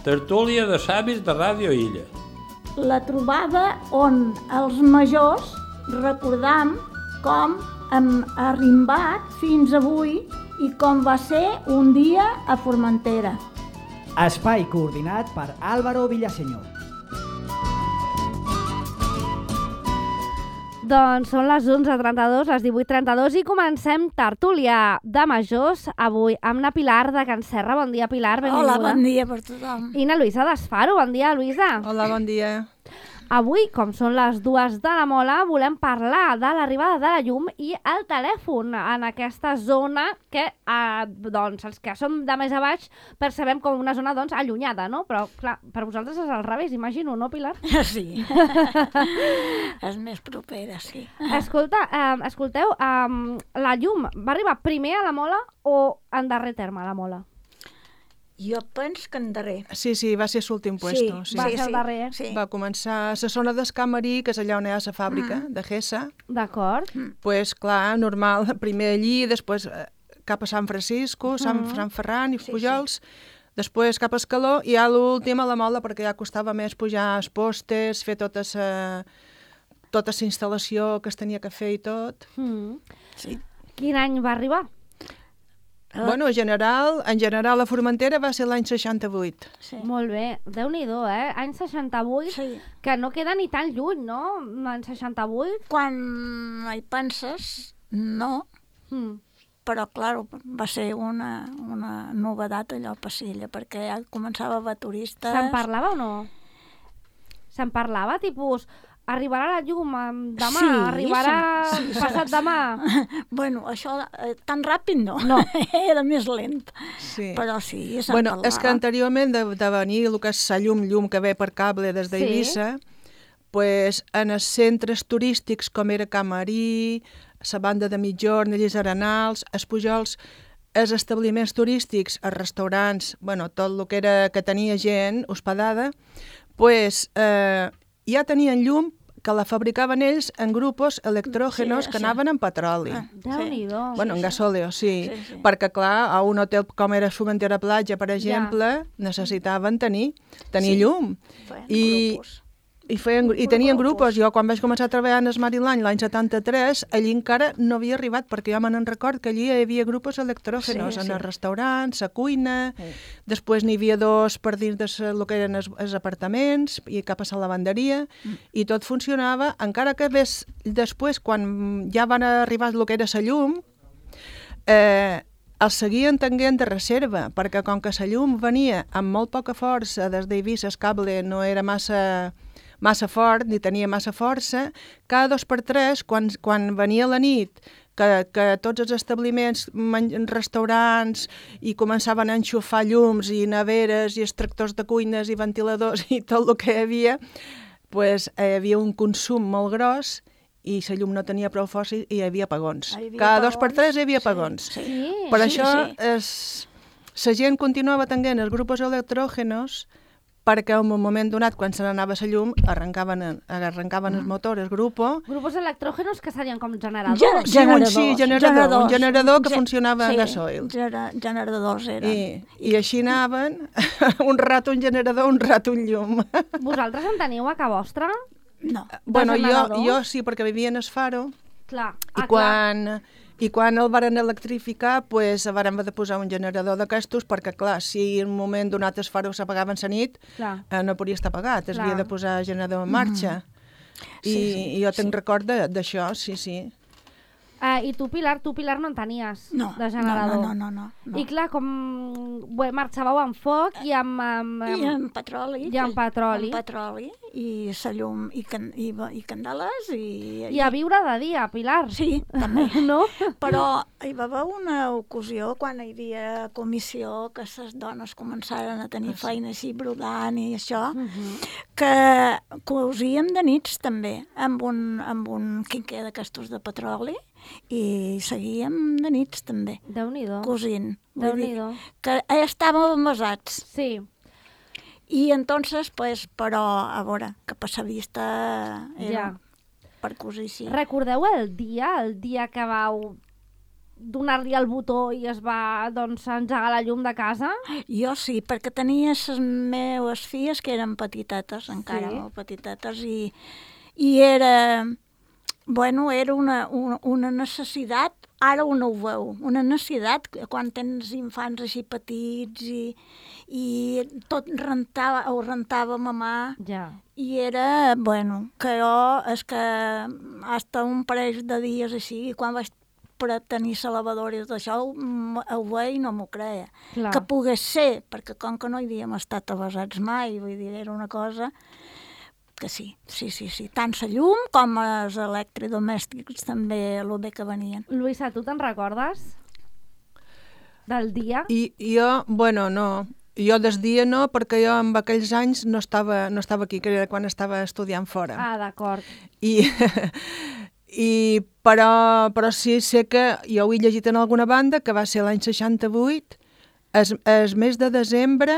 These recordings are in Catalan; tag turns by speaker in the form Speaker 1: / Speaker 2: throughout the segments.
Speaker 1: Tertúlia de savis de Ràdio Illa.
Speaker 2: La trobada on els majors recordam com hem arrimbat fins avui i com va ser un dia a Formentera.
Speaker 3: Espai coordinat per Álvaro Villaseñor.
Speaker 4: Doncs són les 11:32, les 18:32 i comencem tertúlia de majors avui amb na Pilar de Can Serra. Bon dia, Pilar, benvinguda.
Speaker 2: Hola, bon dia per tothom.
Speaker 4: I na Luisa d'Esfaro. Bon dia, Luisa.
Speaker 5: Hola, bon dia.
Speaker 4: Avui, com són les 2 de la Mola, volem parlar de l'arribada de la llum i el telèfon en aquesta zona que, doncs, els que som de més a baix percebem com una zona, doncs, allunyada, no? Però, clar, per vosaltres és al revés, imagino, no, Pilar?
Speaker 2: Sí. És més propera, sí.
Speaker 4: Escolteu, la llum va arribar primer a la Mola o en darrer terme a la Mola?
Speaker 2: Jo penso que en darrer.
Speaker 5: Sí, va ser l'últim puesto.
Speaker 4: Sí. Va ser el darrer.
Speaker 2: Sí.
Speaker 5: Va començar a la zona d'Escamarí, que és allà on hi ha la fàbrica de Gessa.
Speaker 4: D'acord.
Speaker 5: Pues, clar, normal, primer allí, després cap a Sant Francisco, Sant Ferran i Pujols, després cap a Escaló i a l'últim a la Mola, perquè ja costava més pujar els postes, fer tota la instal·lació que es tenia que fer i tot.
Speaker 2: Sí.
Speaker 4: Quin any va arribar?
Speaker 5: Bueno, en general, a Formentera va ser l'any 68.
Speaker 2: Sí.
Speaker 4: Molt bé, Déu-n'hi-do, Any 68,
Speaker 2: Sí.
Speaker 4: que no queda ni tan lluny, no? L'any 68.
Speaker 2: Quan hi penses, no, però, clar, va ser una novedat allò a Passilla, perquè ja començava a haver turistes.
Speaker 4: Se'n parlava o no? Se'n parlava, tipus, arribarà la llum demà,
Speaker 2: Sí,
Speaker 4: arribarà passat demà?
Speaker 2: Bueno, això tan ràpid no,
Speaker 4: No.
Speaker 2: Era més lent,
Speaker 5: Sí.
Speaker 2: però sí, se'n
Speaker 5: Bueno,
Speaker 2: parlava.
Speaker 5: és que anteriorment de venir el que és la llum que ve per cable des d'Eivissa, pues, en els centres turístics com era Camarí, la banda de Mitjorn, els Arenals, els Pujols, els establiments turístics, els restaurants, bueno, tot el que tenia gent hospedada, pues, ja tenien llum que la fabricaven ells en grupos electrògenos que anaven en petroli.
Speaker 4: Déu-n'hi-do.
Speaker 5: Bueno, en gasòleo, sí. Perquè, clar, a un hotel com era Formentera Platja, per exemple, necessitaven tenir llum. I tenien grupos. Jo, quan vaig començar a treballar en Esmarilany l'any 73, allí encara no havia arribat, perquè jo me'n record que allí hi havia grupos electrògenos en els restaurants, a cuina, després n'hi havia 2 per dins del que eren els apartaments i cap a la lavanderia, i tot funcionava, encara que després, quan ja van arribar el que era la llum, els seguien tenint de reserva, perquè com que la llum venia amb molt poca força des d'Eivissa, el cable no era massa fort, ni tenia massa força, cada 2 per 3, quan venia la nit, que tots els establiments, restaurants, i començaven a enxufar llums i neveres i extractors de cuines i ventiladors i tot el que hi havia, pues, hi havia un consum molt gros i la llum no tenia prou força i hi havia apagons. Cada 2 per 3 hi havia apagons. Per això la gent continuava tenint els grupos electrògenos, perquè en un moment donat, quan se n'anava la llum, arrencaven el motor, el grupo.
Speaker 4: Grupos electrògenos que serien com generadors.
Speaker 5: Generador. Un generador que funcionava en gasoil.
Speaker 2: Generadors eren.
Speaker 5: I així anaven, un rato un generador, un rato un llum.
Speaker 4: Vosaltres en teniu a casa vostra?
Speaker 2: No.
Speaker 5: Bueno, jo sí, perquè vivia en Esfaro.
Speaker 4: Clar.
Speaker 5: I quan el varen electrificar, pues, varen haver de posar un generador d'aquestos, perquè, clar, si en un moment donat els faros s'apagaven la nit, no podia estar apagat, es havia de posar el generador en marxa. I jo tenc record d'això, sí.
Speaker 4: I tu, Pilar, no en tenies de generador?
Speaker 2: No.
Speaker 4: I clar, com marxàveu amb foc i amb...
Speaker 2: I amb petroli.
Speaker 4: I amb petroli.
Speaker 2: Amb petroli, i la llum, i candeles,
Speaker 4: I a viure de dia, Pilar.
Speaker 2: Sí, també.
Speaker 4: No?
Speaker 2: Però hi va haver una ocasió, quan hi havia comissió, que les dones començaren a tenir feina així, brodant i això, que cosíem de nits també, amb un quinquer d'aquestos de petroli, i seguíem de nits també.
Speaker 4: Déu-n'hi-do.
Speaker 2: Cosint.
Speaker 4: Déu-n'hi-do.
Speaker 2: Que estàvem avasats.
Speaker 4: Sí.
Speaker 2: I entonces, pues, però, a veure, que per la vista era per cosir, sí.
Speaker 4: Recordeu el dia que vau donar-li el botó i es va doncs, engegar la llum de casa?
Speaker 2: Jo sí, perquè tenia les meves filles que eren petitetes, encara
Speaker 4: Sí.
Speaker 2: molt petitetes, i era, bueno, era una necessitat, ara no ho veu, una necessitat quan tens infants així petits i tot ho rentava mamà.
Speaker 4: Ja.
Speaker 2: I era, bueno, que jo, és que hasta un parell de dies així, i quan vaig per tenir lavadores d'això, ho veia i no m'ho creia.
Speaker 4: Clar.
Speaker 2: Que pogués ser, perquè com que no hi havíem estat avasats mai, vull dir, era una cosa que sí. Tant la llum com els electrodomèstics també el bé que venien.
Speaker 4: Luisa, tu te'n recordes? Del dia?
Speaker 5: I jo, bueno, no. Jo des dia no, perquè jo en aquells anys no estava aquí, que era quan estava estudiant fora.
Speaker 4: Ah, d'acord.
Speaker 5: Però sí sé que jo ho he llegit en alguna banda, que va ser l'any 68, el mes de desembre,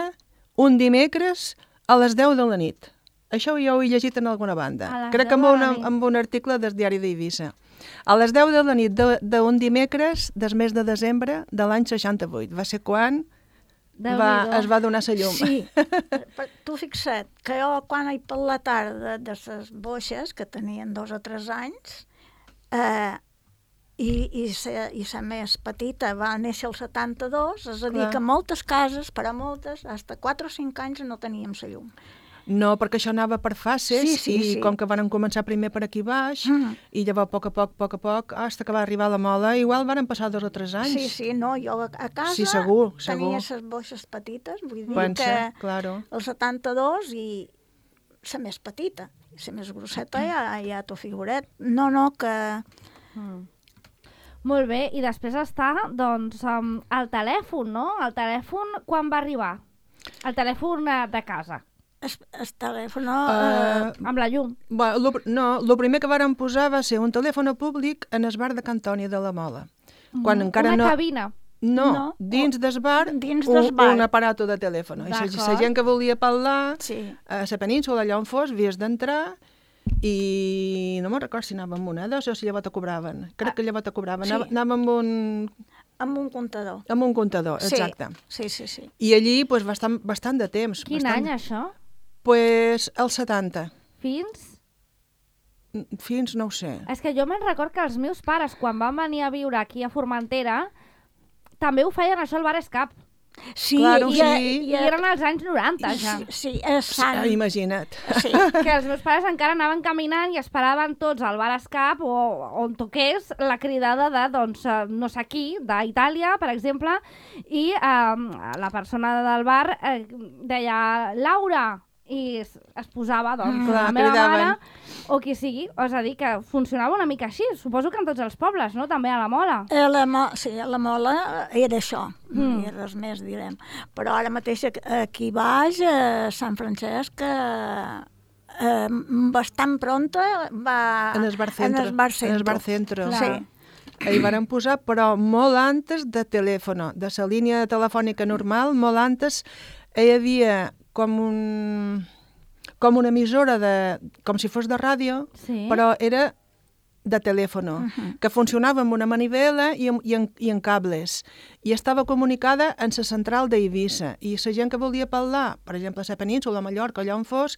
Speaker 5: un dimecres, a les 10 de la nit. Això jo ho he llegit en alguna banda. Crec que en un article del diari d'Eivissa. A les 10 de la nit d'un dimecres del mes de desembre de l'any 68. Va ser quan es va donar la llum.
Speaker 2: Sí, tu fixa't que jo quan per la tarda de les boixes, que tenien 2 o 3 anys, i la més petita va néixer el 72, és a dir,
Speaker 5: Clar.
Speaker 2: que moltes cases, per a moltes, fins a 4 o 5 anys no teníem la llum.
Speaker 5: No, perquè això anava per fases
Speaker 2: Sí.
Speaker 5: com que van començar primer per aquí baix i llavors a poc a poc, fins que va arribar a la Mola, igual van passar 2 o 3 anys.
Speaker 2: Sí, no, jo a casa
Speaker 5: Sí, segur.
Speaker 2: tenia les boixes petites, vull dir
Speaker 5: Pensa,
Speaker 2: que
Speaker 5: claro.
Speaker 2: el 72 i la més petita, la més grosseta ja t'ho figuret. No, que...
Speaker 4: Molt bé, i després està, doncs, el telèfon, no? El telèfon quan va arribar? El telèfon de casa,
Speaker 2: El telèfon...
Speaker 4: amb la llum.
Speaker 5: El primer que varen posar va ser un telèfon públic en el bar de Cantònia de la Mola. Quan encara
Speaker 4: Una
Speaker 5: no...
Speaker 4: cabina.
Speaker 5: No, dins del bar,
Speaker 2: Dins del bar.
Speaker 5: un aparato de telèfon. I la
Speaker 4: D'acord.
Speaker 5: gent que volia parlar
Speaker 2: Sí.
Speaker 5: a la península, allà on fos, havies d'entrar i no me'n record si anava amb monedes o si llavors te cobraven. Crec que llavors te cobraven.
Speaker 2: Sí.
Speaker 5: Anava amb
Speaker 2: Amb un comptador.
Speaker 5: un comptador, exacte.
Speaker 2: Sí.
Speaker 5: I allí pues, bastant de temps.
Speaker 4: Quin any, això?
Speaker 5: Pues el 70. Fins no ho sé.
Speaker 4: És que jo me'n record que els meus pares, quan van venir a viure aquí a Formentera, també ho feien això al Bar Escap.
Speaker 2: Sí,
Speaker 5: Claro,
Speaker 4: I eren als anys 90, ja.
Speaker 2: Sí, és sant.
Speaker 5: Imagina't.
Speaker 2: Sí.
Speaker 4: Que els meus pares encara anaven caminant i esperaven tots al Bar Escap o on toqués la cridada de, doncs, no sé qui, d'Itàlia, per exemple, i la persona del bar deia Laura, i es posava, doncs,
Speaker 5: Clar,
Speaker 4: la meva
Speaker 5: cridaven.
Speaker 4: mare o qui sigui. És a dir, que funcionava una mica així. Suposo que en tots els pobles, no? També a la Mola.
Speaker 2: Sí, la Mola era això, no hi ha res més, direm. Però ara mateix aquí baix, a Sant Francesc, bastant pronta va...
Speaker 5: En el bar centre.
Speaker 2: En el bar centre.
Speaker 5: En el bar centre.
Speaker 4: Clar.
Speaker 2: Sí.
Speaker 5: Hi varen posar, però molt antes de telèfon, de la línia telefònica normal, molt antes hi havia com una emissora, com si fos de ràdio,
Speaker 4: Sí.
Speaker 5: però era de telèfon, que funcionava amb una manivela i en cables. I estava comunicada en la central d'Eivissa. I la gent que volia parlar, per exemple, a la península, a Mallorca, allà on fos,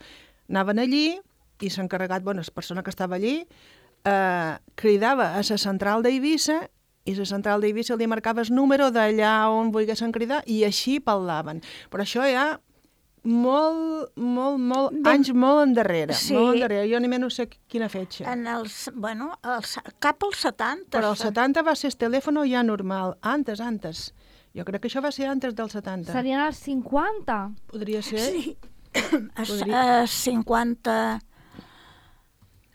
Speaker 5: anaven allí i s'encarregat, la persona que estava allí, cridava a la central d'Eivissa i la central d'Eivissa li marcava el número d'allà on volguessin cridar i així parlaven. Però això ja molt anys molt endarrere.
Speaker 2: Sí.
Speaker 5: Molt endarrere. Jo ni menys no sé quina fetge.
Speaker 2: Cap als 70.
Speaker 5: Però el 70 va ser el telèfon ja normal. Antes. Jo crec que això va ser antes del 70.
Speaker 4: Serien els 50.
Speaker 5: Podria ser
Speaker 2: Sí.
Speaker 5: Podria.
Speaker 2: 50...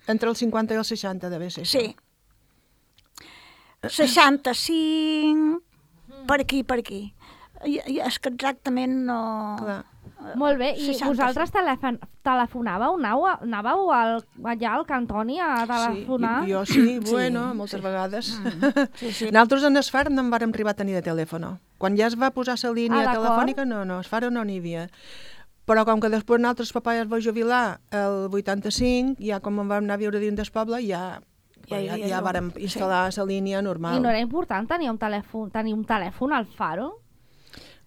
Speaker 5: entre el 50 i el 60, deve ser això.
Speaker 2: Sí. 65, per aquí. És que exactament no...
Speaker 5: Clar.
Speaker 4: Molt bé, i
Speaker 2: 65.
Speaker 4: vosaltres telefonàveu? Anàveu allà al Cantoni a telefonar?
Speaker 5: Sí, jo sí, bueno, moltes vegades.
Speaker 2: Sí.
Speaker 5: Nosaltres en Esfar no en vàrem arribar a tenir de telèfon. Quan ja es va posar la línia
Speaker 4: d'acord.
Speaker 5: telefònica, no, a Esfar no n'hi havia. Però com que després nosaltres papà ja es va jubilar el 85, ja com vam anar a viure dins del poble, ja Ja vàrem instal·lar la línia normal.
Speaker 4: I no era important tenir un telèfon al Faro?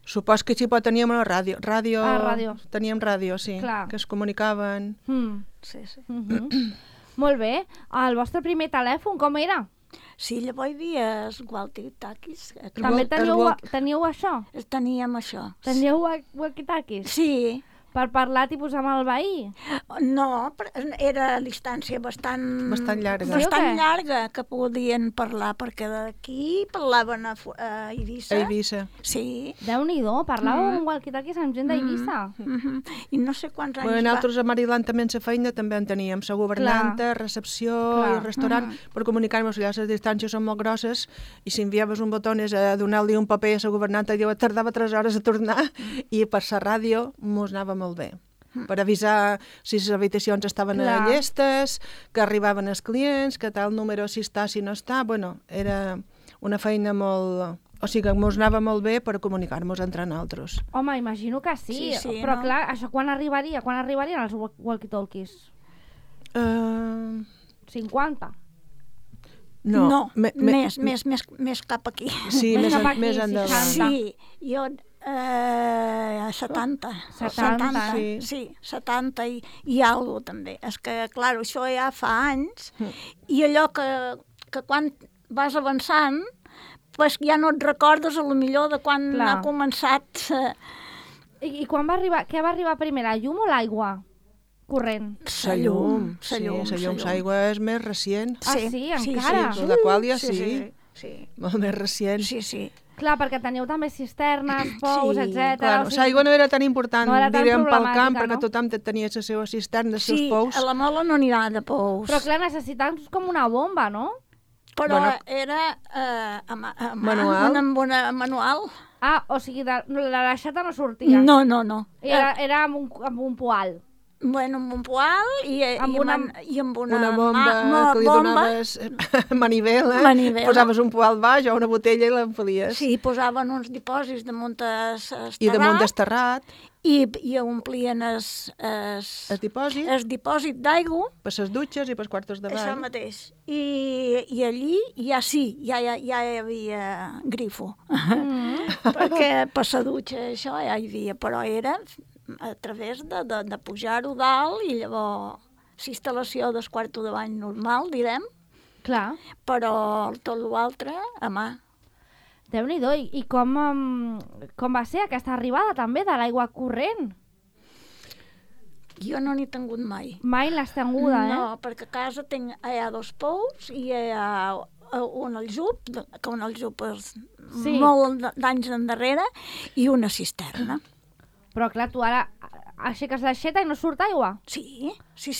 Speaker 5: Supos que sí, però teníem una ràdio.
Speaker 4: Ràdio.
Speaker 5: Teníem ràdio, sí,
Speaker 4: Clar.
Speaker 5: que es comunicaven.
Speaker 2: Sí, sí.
Speaker 4: Molt bé. El vostre primer telèfon com era?
Speaker 2: Sí, llavors hi havia els walkie-talkies.
Speaker 4: També teníeu això?
Speaker 2: Teníem això.
Speaker 4: Teníeu walkie-talkies?
Speaker 2: Sí.
Speaker 4: Per parlar tipus amb el veí?
Speaker 2: No, era a distància bastant
Speaker 5: llarga.
Speaker 4: Sí,
Speaker 2: llarga que podien parlar, perquè d'aquí parlaven a Eivissa.
Speaker 5: A Eivissa.
Speaker 2: Sí.
Speaker 4: Déu-n'hi-do, parlàveu amb walkie-talkies amb gent d'Eivissa.
Speaker 2: I no sé quants anys
Speaker 5: Nosaltres a Maryland també en la feina també en teníem. La governanta, recepció i restaurant, per comunicar-nos allà. Les distàncies són molt grosses i si enviaves un botó és a donar-li un paper a la governanta i tardava 3 hores a tornar i per la ràdio mos anava molt bé, per avisar si les habitacions estaven llestes, que arribaven els clients, que tal número si està, si no està. Bueno, era una feina molt... O sigui, que mos anava molt bé per comunicar-nos entre nosaltres.
Speaker 4: Home, imagino que sí, però clar, això quan arribaria? Quan arribarien els walkie-talkies? 50?
Speaker 2: No, més cap aquí.
Speaker 5: Sí, més endavant.
Speaker 2: Sí, jo... 70. Sí, 70 i alguna també. És que, clar, això ja fa anys i allò que quan vas avançant pues ja no et recordes a lo millor de quan ha començat.
Speaker 4: I quan va arribar, què va arribar primer, la llum o l'aigua corrent?
Speaker 5: La llum. L'aigua és més recient.
Speaker 4: Sí, encara?
Speaker 5: Sí, la qual ja sí. Molt més recient.
Speaker 2: Sí.
Speaker 4: Clar, perquè teniu també cisternes, pous, etc.
Speaker 5: Clar, l'aigua no era tan important, diríem, pel camp, perquè
Speaker 4: no?
Speaker 5: Tothom tenia les seves cisternes, els seus pous.
Speaker 2: Sí, a la Mola no n'hi ha de pous.
Speaker 4: Però clar, necessitàvem com una bomba, no?
Speaker 2: Però era
Speaker 5: manual.
Speaker 2: Manual.
Speaker 4: Ah, o sigui, la l'aixeta no sortia?
Speaker 2: No.
Speaker 4: Era amb un poal.
Speaker 2: Bueno, amb un poal i amb una
Speaker 5: bomba que li donaves manivela, posaves un poal baix o una botella i l'empalies.
Speaker 2: Sí, posaven uns dipòsits damunt esterrat.
Speaker 5: I damunt esterrat.
Speaker 2: I omplien el dipòsit d'aigua.
Speaker 5: Per les dutxes i per els quartos de bany.
Speaker 2: Això mateix. I allí ja hi havia grifo. Perquè per la dutxa això ja hi havia, però era a través de pujar-ho dalt i llavors l'instal·lació del quarto de bany normal, direm.
Speaker 4: Clar.
Speaker 2: Però tot l'altre a mà.
Speaker 4: Déu-n'hi-do. I com va ser aquesta arribada també de l'aigua corrent?
Speaker 2: Jo no n'he tingut mai.
Speaker 4: Mai l'has tinguda,
Speaker 2: No, perquè a casa hi ha 2 pous i hi ha un aljub, que un aljub és molt d'anys endarrere, i una cisterna.
Speaker 4: Però clar, tu ara aixeques l'aixeta i no surt aigua?
Speaker 2: Sí.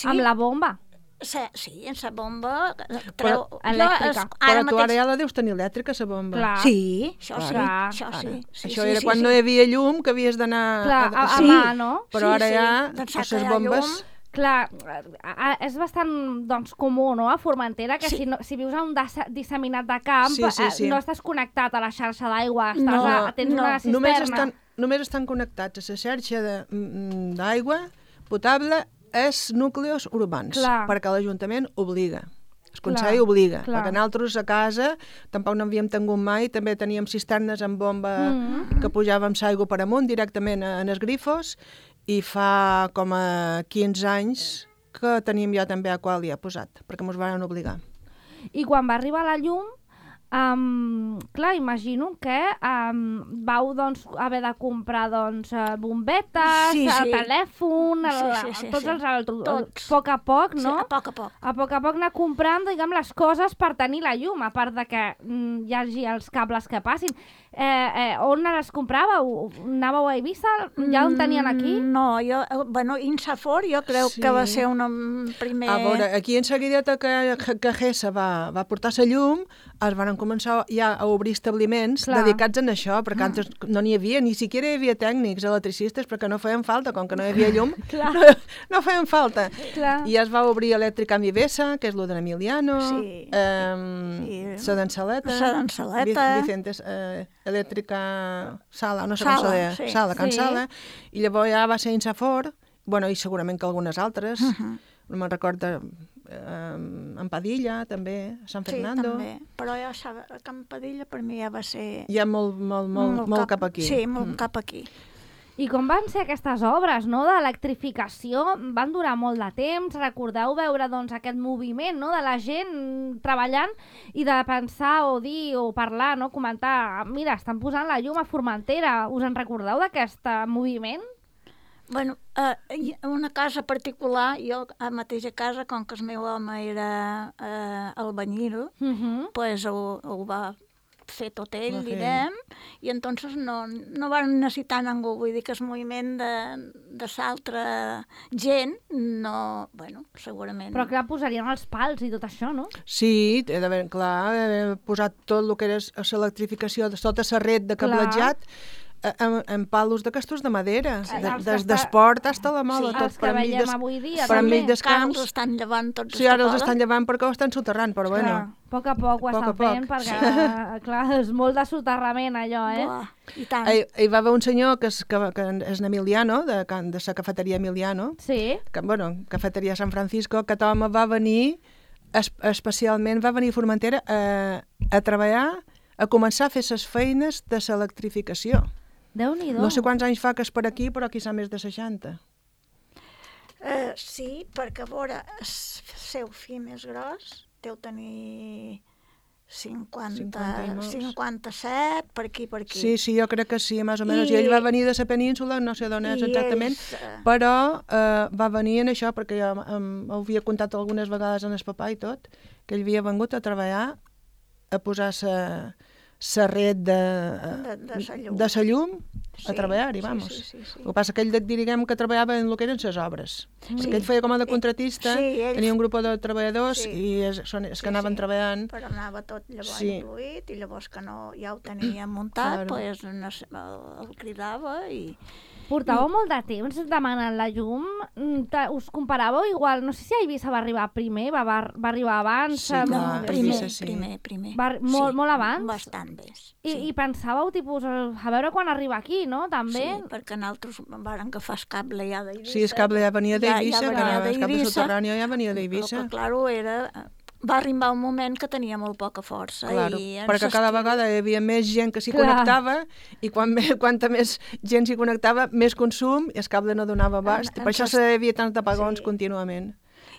Speaker 4: Amb la bomba?
Speaker 2: Sí, en la bomba...
Speaker 4: elèctrica.
Speaker 5: Però tu ara ja la deus tenir elèctrica, la bomba.
Speaker 4: Clar.
Speaker 2: Sí, això sí.
Speaker 5: Això era quan no hi havia llum, que havies d'anar...
Speaker 4: Clar, a mà, no?
Speaker 5: Però ara ja, les bombes...
Speaker 4: Clar, és bastant comú, no?, a Formentera, que si vius a un disseminat de camp, no estàs connectat a la xarxa d'aigua, tens una cisterna.
Speaker 5: Només estan connectats a la xarxa d'aigua potable els núcleos urbans, perquè l'Ajuntament obliga. El Consell obliga, perquè nosaltres a casa tampoc no havíem tingut mai, també teníem cisternes amb bomba que pujàvem l'aigua per amunt directament en els grifos, i fa com a 15 anys que teníem ja també Aqualia posat, perquè ens van obligar.
Speaker 4: I quan va arribar la llum, clar, imagino que vau haver de comprar bombetes, el telèfon, tots els altres, a poc a poc, no?
Speaker 2: Sí, a poc a poc.
Speaker 4: A poc anar comprant, diguem, les coses per tenir la llum, a part de que hi hagi els cables que passin. On les compràveu? Anàveu a Eivissa? Ja on tenien aquí?
Speaker 2: No, Insafor jo crec que va ser una primer...
Speaker 5: A veure, aquí en seguideta que GESA va portar la llum, es van començar ja a obrir establiments dedicats a això, perquè antes no n'hi havia, ni siquiera hi havia tècnics, electricistes, perquè no feien falta, com que no hi havia llum, no feien falta. I es va obrir Elèctrica amb Eivissa, que és lo de l'Emiliano, la d'Ensaleta, Vicentes, Elèctrica Sala, no sé com se deia, Sala, Can Sala, i llavors ja va ser Insafor, i segurament que algunes altres, no me'n recordo, en Padilla, també, a Sant Fernando.
Speaker 2: Sí, també. Però jo, a Can Padilla per mi ja va ser...
Speaker 5: Ja molt cap aquí.
Speaker 2: Sí, molt cap aquí.
Speaker 4: I com van ser aquestes obres, no?, d'electrificació? Van durar molt de temps. Recordeu veure, doncs, aquest moviment, no?, de la gent treballant i de pensar o dir o parlar, no?, comentar, mira, estan posant la llum a Formentera. Us en recordeu d'aquest moviment?
Speaker 2: Bueno, una casa particular, jo a mateixa casa, com que el meu home era albañil, pues ho va fer tot ell, direm, i entonces no van necessitar ningú. Vull dir que el moviment de l'altra gent, no, bueno, segurament...
Speaker 4: Però clar, posarien els pals i tot això, no?
Speaker 5: Sí, clar, posat tot el que era l'electrificació de tota la red de cablejat, en palos de castos de madera, des d'esport fins a la mola, tot per
Speaker 4: veiem avui dia,
Speaker 5: per enmig dels
Speaker 2: camps.
Speaker 5: camps.
Speaker 2: Els estan llevant tots.
Speaker 5: Sí, ara els estan llevant perquè ho estan soterrant, però bueno.
Speaker 4: A poc ho estan fent, perquè, clar, és molt de soterrament, allò,
Speaker 2: Buah, i tant.
Speaker 5: Hi va haver un senyor que és Emiliano, de la cafeteria Emiliano, que, bueno, cafeteria San Francisco, que home va venir, especialment va venir a Formentera a treballar, a començar a fer les feines de l'electrificació.
Speaker 4: Déu-n'hi-do.
Speaker 5: No sé quants anys fa que és per aquí, però quizà més de 60.
Speaker 2: Sí, perquè, a veure, el seu fill més gros deu tenir 57, per aquí.
Speaker 5: Sí, jo crec que sí, més o menys. I ell va venir de la península, no sé d'on és exactament, però va venir en això, perquè jo havia contat algunes vegades en el papà i tot, que ell havia vengut a treballar, a posar la red de sa llum a treballar-hi, vamos.
Speaker 2: Sí.
Speaker 5: El que passa que ell, diguem, que treballava en el que eren les obres. Que ell feia com a de contratista, tenia un grup de treballadors i és que anaven treballant.
Speaker 2: Però anava tot llavors incluït, i llavors que no, ja ho tenia muntat, pues el cridava i...
Speaker 4: Portàveu molt de temps demanant la llum, us comparàveu igual, no sé si a Eivissa va arribar primer, va arribar abans...
Speaker 5: Sí, clar,
Speaker 2: primer.
Speaker 4: Molt abans?
Speaker 2: Bastant més.
Speaker 4: I pensàveu, tipus, a veure quan arriba aquí, no?, també?
Speaker 2: Sí, perquè nosaltres vam agafar el cable ja d'Eivissa.
Speaker 5: Sí, el cable ja venia d'Eivissa, el cable subterrani ja venia d'Eivissa.
Speaker 2: Però, clar, va arribar un moment que tenia molt poca força.
Speaker 5: Claro, perquè cada vegada hi havia més gent que s'hi connectava i quanta més gent s'hi connectava, més consum i el cable no donava abast. Per això hi havia tants apagons contínuament.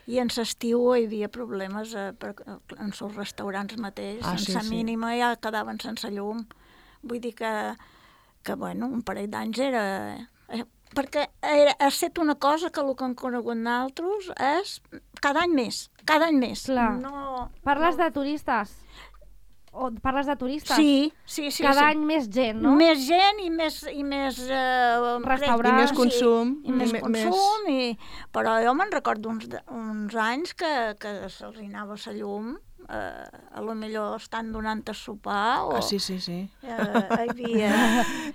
Speaker 2: I en l'estiu hi havia problemes en els restaurants mateix, sense mínima ja quedaven sense llum. Vull dir que bueno, un parell d'anys era... Perquè ha estat una cosa que el que hem conegut nosaltres és cada any més.
Speaker 4: Clar.
Speaker 2: No,
Speaker 4: parles de turistes? Parles de turistes?
Speaker 2: Sí.
Speaker 4: Cada any més gent, no?
Speaker 2: Més gent i més
Speaker 4: restaurants.
Speaker 5: I més consum.
Speaker 2: I més consum. Però jo me'n recordo uns anys que se'ls anava la llum, a lo millor estan donant a sopar o...
Speaker 5: Sí.
Speaker 2: Hi havia...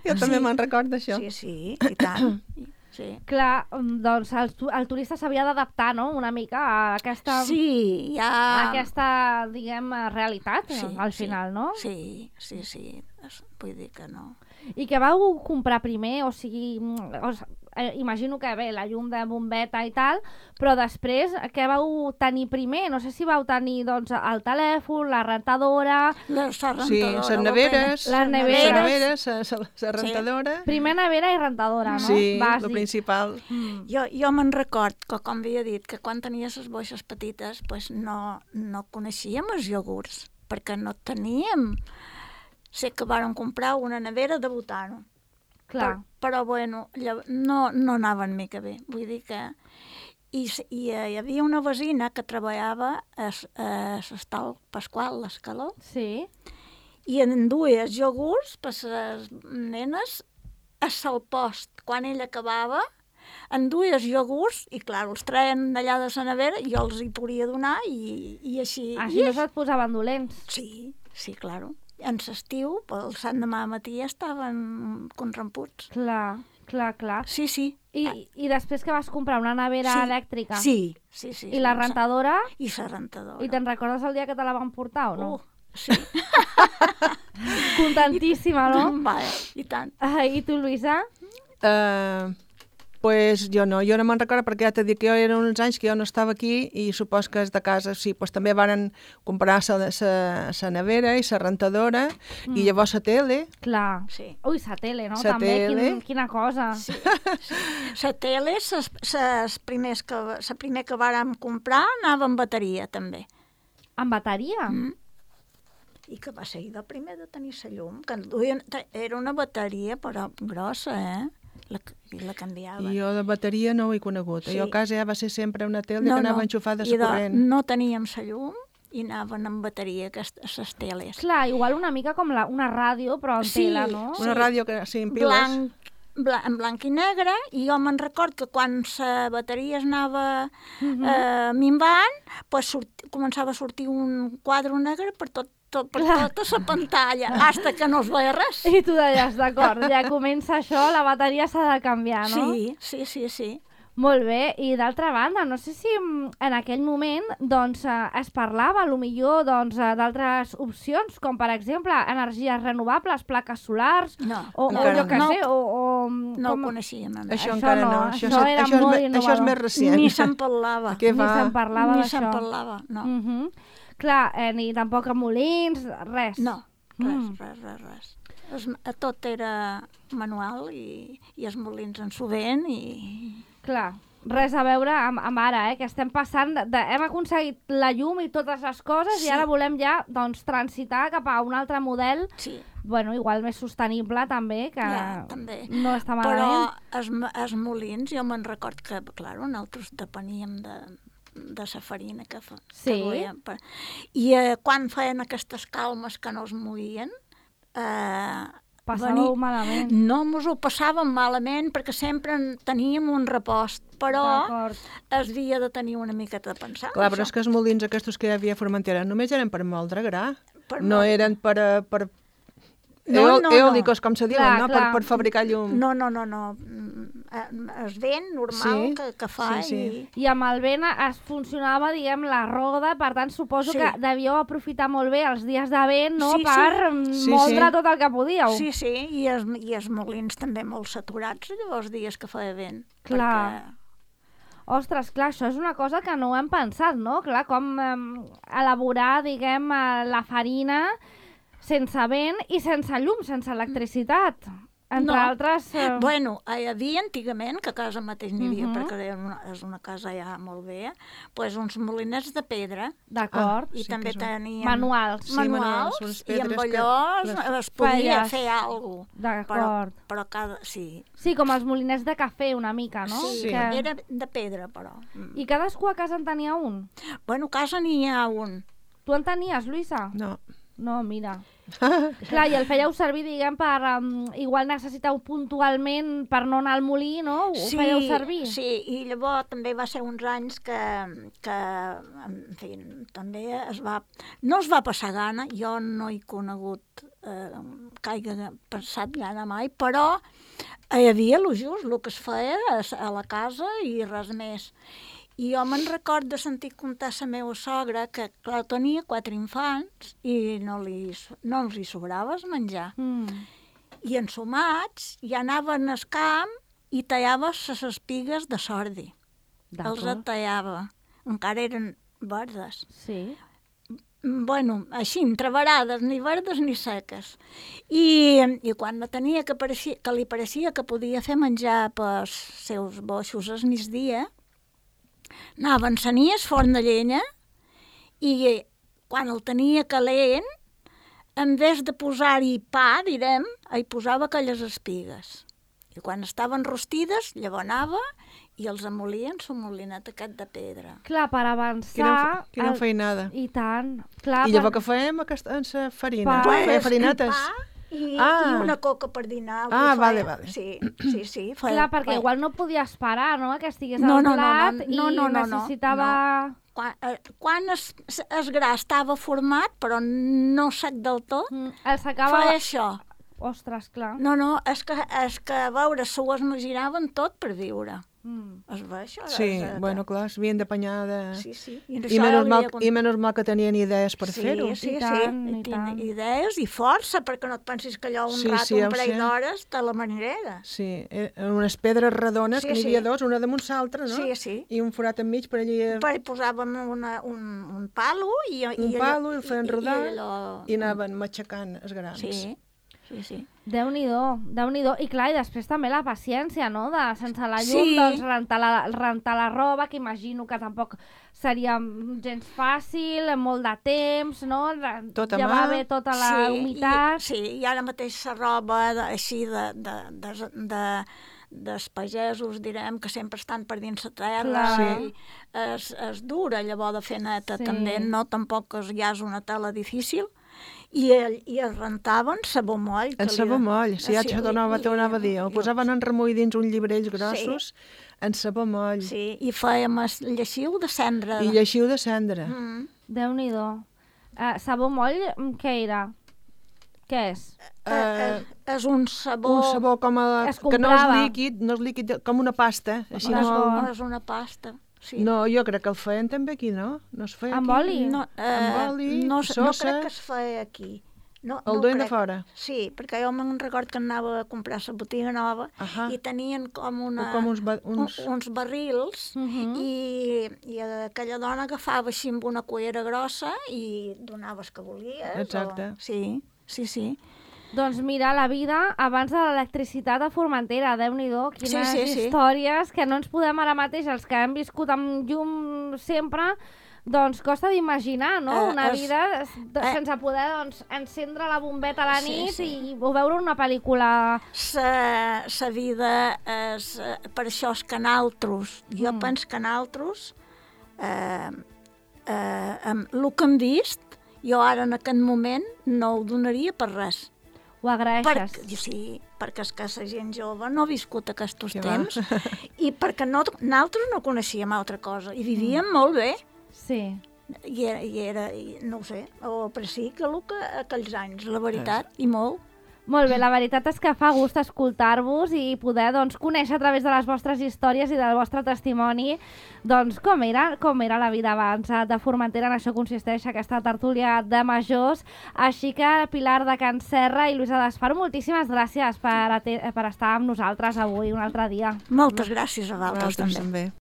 Speaker 5: Jo també me'n recordo d'això.
Speaker 2: Sí, i tant. Sí.
Speaker 4: Clar, doncs el turista s'havia d'adaptar, no?, una mica a aquesta...
Speaker 2: Sí, ja...
Speaker 4: A aquesta, diguem, realitat, al final, no?
Speaker 2: Sí. Vull dir que no.
Speaker 4: I què vau comprar primer? O sigui, imagino que bé, la llum de bombeta i tal, però després què vau tenir primer? No sé si vau tenir, doncs, el telèfon, la rentadora...
Speaker 5: Sí, les neveres, la rentadora...
Speaker 4: Primer nevera i rentadora, no?
Speaker 5: Sí, el principal.
Speaker 2: Jo me'n record que, com havia dit, que quan tenia les boixes petites pues no coneixíem els iogurts, perquè no teníem... Sé que vàrem comprar una nevera de butano.
Speaker 4: Clar.
Speaker 2: Però bueno, no anaven mica bé. Vull dir que... I hi havia una vecina que treballava a l'Hostal Pasqual, l'Escaló.
Speaker 4: Sí.
Speaker 2: I en duia iogurts per les nenes a Salpost. Quan ell acabava, en duia iogurts i, clar, els treien d'allà de la nevera i jo els hi podia donar i així...
Speaker 4: Així no se't posaven dolents.
Speaker 2: Sí, clar. En l'estiu, pel sant demà matí ja estaven contramputs.
Speaker 4: Clar.
Speaker 2: Sí.
Speaker 4: I després que vas comprar una nevera elèctrica?
Speaker 2: Sí.
Speaker 4: I la rentadora?
Speaker 2: I la rentadora.
Speaker 4: I te'n recordes el dia que te la van portar o no?
Speaker 2: Sí.
Speaker 4: Contentíssima, no?
Speaker 2: Vale, i tant.
Speaker 4: I tu, Lluïsa?
Speaker 5: Pues jo no me'n recordo perquè ja t'he dit que jo eren uns anys que jo no estava aquí i supos que és de casa, sí, pues també varen comprar la nevera i la rentadora i llavors la tele.
Speaker 4: Clar.
Speaker 2: Sí.
Speaker 4: Ui, la tele, no?
Speaker 5: Sa
Speaker 4: També,
Speaker 5: tele.
Speaker 4: quina cosa.
Speaker 2: Sí. La tele, la primer que vàrem comprar anava amb bateria, també.
Speaker 4: Amb bateria?
Speaker 2: I que va ser el primer de tenir la llum, que era una bateria, però grossa, I la canviaven.
Speaker 5: I jo de bateria no ho he conegut.
Speaker 2: Sí.
Speaker 5: Jo a casa ja va ser sempre una tele que anava enxufada a la corrent.
Speaker 2: No teníem la llum i anaven amb bateria les teles.
Speaker 4: Clar, igual una mica com una ràdio, però en tela, no?
Speaker 5: Una ràdio que sí, en piles.
Speaker 2: En blanc i negre, i jo me'n record que quan la bateria es anava minvant, pues començava a sortir un quadre negre per tota la pantalla, hasta que no es veia res.
Speaker 4: I tu deies, d'acord, ja comença això, la bateria s'ha de canviar, no?
Speaker 2: Sí.
Speaker 4: Molt bé, i d'altra banda, no sé si en aquell moment doncs, es parlava, potser d'altres opcions, com per exemple energies renovables, plaques solars,
Speaker 2: no
Speaker 4: ho
Speaker 2: coneixíem.
Speaker 5: Això encara no.
Speaker 4: Això era molt innovador.
Speaker 5: Això és més recient.
Speaker 2: Ni se'n parlava.
Speaker 4: Ni se'n parlava d'això.
Speaker 2: Ni se'n parlava, no.
Speaker 4: Clar, ni tampoc a molins, res.
Speaker 2: No, res. Tot era manual i els molins en sovent i...
Speaker 4: Clar, res a veure amb ara, que estem passant, hem aconseguit la llum i totes les coses i ara volem ja transitar cap a un altre model, bueno, igual més sostenible també, que
Speaker 2: també.
Speaker 4: No està malament.
Speaker 2: Però els molins, jo me'n record que, clar, nosaltres depeníem de la farina que duien. I quan feien aquestes calmes que no es movien,
Speaker 4: passàveu malament.
Speaker 2: No ens ho passàvem malament perquè sempre teníem un repost, però es havia de tenir una miqueta de pensar.
Speaker 5: Clar, però és que els molins aquests que hi havia a Formentera només eren per moldre gra, no eren per eòlicos, com se diuen, no? Per fabricar llum.
Speaker 2: No. Es vent normal que fa.
Speaker 4: I amb el vent es funcionava, diguem, la roda, per tant, suposo que devíeu aprofitar molt bé els dies de vent, no?, per moldre tot el que podíeu.
Speaker 2: Sí, i els molins també molt saturats, llavors dies que feia vent.
Speaker 4: Clar. Ostres, clar, això és una cosa que no ho hem pensat, no? Clar, com elaborar, diguem, la farina sense vent i sense llum, sense electricitat. Entre altres...
Speaker 2: Bueno, hi havia antigament, que a casa mateix n'hi havia, perquè és una casa ja molt vella, doncs uns molinets de pedra.
Speaker 4: D'acord.
Speaker 2: I també tenien...
Speaker 4: Manuals.
Speaker 2: I amb allò es podia fer alguna cosa.
Speaker 4: D'acord.
Speaker 2: Però cada... Sí,
Speaker 4: com els molinets de cafè, una mica, no?
Speaker 2: Sí, era de pedra, però.
Speaker 4: I cadascú a casa en tenia un?
Speaker 2: Bueno, a casa n'hi ha un.
Speaker 4: Tu en tenies, Lluïsa? No, mira. Clar, i el fèieu servir, diguem, per... igual necessiteu puntualment per no anar al molí, no? Ho fèieu servir?
Speaker 2: Sí, i llavors també va ser uns anys que en fi, també no es va passar gana, jo no he conegut que hagi passat gana mai, però hi havia el just, el que es feia a la casa i res més. I jo me'n record de sentir contar a la meva sogra que, clar, tenia 4 infants i no els hi sobrava el menjar. I ensumats ja anaven al camp i tallava les espigues de sordi. Els tallava. Encara eren verdes.
Speaker 4: Sí.
Speaker 2: Bueno, així, entreverades, ni verdes ni seques. I quan la tenia que li pareixia que podia fer menjar pels seus boixos al migdia, anava a encenir el forn de llenya i quan el tenia calent, en vez de posar-hi pa, direm, hi posava aquelles espigues. I quan estaven rostides, llavors anava i els amolien el molinet aquest de pedra.
Speaker 4: Clar, per avançar...
Speaker 5: Quina feinada.
Speaker 4: I tant. Clar,
Speaker 5: I llavors què fèiem amb la farina?
Speaker 2: Feia
Speaker 5: farinetes?
Speaker 2: I una coca per dinar.
Speaker 5: Vale.
Speaker 2: Sí.
Speaker 4: Clar, perquè igual no podia esperar, no?, que estigués al plat i necessitava...
Speaker 2: Quan el gra estava format, però no sec del tot,
Speaker 4: feia
Speaker 2: això.
Speaker 4: Ostres, clar.
Speaker 2: No, és que a veure, s'ho esmaginaven tot per viure. Es ve això?
Speaker 5: Sí, bueno, clar, s'havien d'apanyar de...
Speaker 2: Sí, sí.
Speaker 5: I menys mal que tenien idees per fer-ho.
Speaker 2: Sí,
Speaker 4: I tant, i
Speaker 2: sí.
Speaker 4: tant.
Speaker 2: Idees i força, perquè no et pensis que allò un parell d'hores te la manera.
Speaker 5: Sí, unes pedres redones, que n'hi havia dos, una damunt l'altra, no?
Speaker 2: Sí.
Speaker 5: I un forat enmig per allí...
Speaker 2: Per posàvem un palo i...
Speaker 5: Un palo, i el feien rodar, i anaven
Speaker 2: Mm.
Speaker 5: matxacant els grans.
Speaker 2: Sí.
Speaker 4: Déu-n'hi-do. I clar, i després també la paciència, no?, de sense la llum,
Speaker 2: Sí.
Speaker 4: doncs rentar la roba, que imagino que tampoc seria gens fàcil, molt de temps, no?,
Speaker 5: Tot a
Speaker 4: llevar
Speaker 5: mà.
Speaker 4: bé tota la humitat.
Speaker 2: I ara mateix la roba així dels pagesos, direm, que sempre estan per dins la terra,
Speaker 4: Clar.
Speaker 2: és dura llavors de fer neta,
Speaker 4: Sí.
Speaker 2: també, no? Tampoc ja és una tela difícil. I es rentaven sabó moll.
Speaker 5: En sabó moll, ja t'ho anava a dir. Ho posaven en remull dins uns llibrells grossos, en sabó moll.
Speaker 2: Sí, i fèiem el lleixiu de cendra.
Speaker 5: I lleixiu de cendra.
Speaker 4: Déu-n'hi-do. Sabó moll, què era? Què és?
Speaker 2: És un sabó...
Speaker 5: Un sabó com
Speaker 4: Es
Speaker 5: que no és
Speaker 4: comprava.
Speaker 5: líquid, com una pasta. Així
Speaker 4: És bo.
Speaker 2: És una pasta. Sí.
Speaker 5: No, jo crec que el feien també aquí, no? No es feia
Speaker 4: Amb
Speaker 5: aquí?
Speaker 4: oli?
Speaker 2: No,
Speaker 5: Amb oli,
Speaker 2: no
Speaker 5: sosa.
Speaker 2: crec que es feia aquí. No,
Speaker 5: El duien de fora?
Speaker 2: Sí, perquè jo me'n record que anava a comprar la botiga nova i tenien com uns barrils i aquella dona agafava així amb una cullera grossa i donava el que volies.
Speaker 5: Exacte.
Speaker 2: Sí.
Speaker 4: Doncs mira, la vida abans de l'electricitat a Formentera, Déu-n'hi-do, quines
Speaker 2: Sí.
Speaker 4: històries que no ens podem ara mateix, els que hem viscut amb llum sempre, doncs costa d'imaginar, no? Una vida sense poder encendre la bombeta a la nit i veure una pel·lícula.
Speaker 2: La vida és... Per això és que nosaltres, jo penso que nosaltres, amb el que hem vist, jo ara en aquest moment no ho donaria per res.
Speaker 4: Ho agraeixes?
Speaker 2: Sí, perquè és que la gent jove no ha viscut aquests temps i perquè nosaltres no coneixíem altra cosa i vivíem molt bé.
Speaker 4: Sí.
Speaker 2: I era, no ho sé, o per sí que aquells anys, la veritat, i molt.
Speaker 4: Molt bé, la veritat és que fa gust escoltar-vos i poder conèixer a través de les vostres històries i del vostre testimoni com era la vida abans de Formentera. En això consisteix aquesta tertúlia de majors. Així que Pilar de Can Serra i Lluïsa d'Espar, moltíssimes gràcies per estar amb nosaltres avui un altre dia.
Speaker 2: Moltes gràcies a vosaltres també.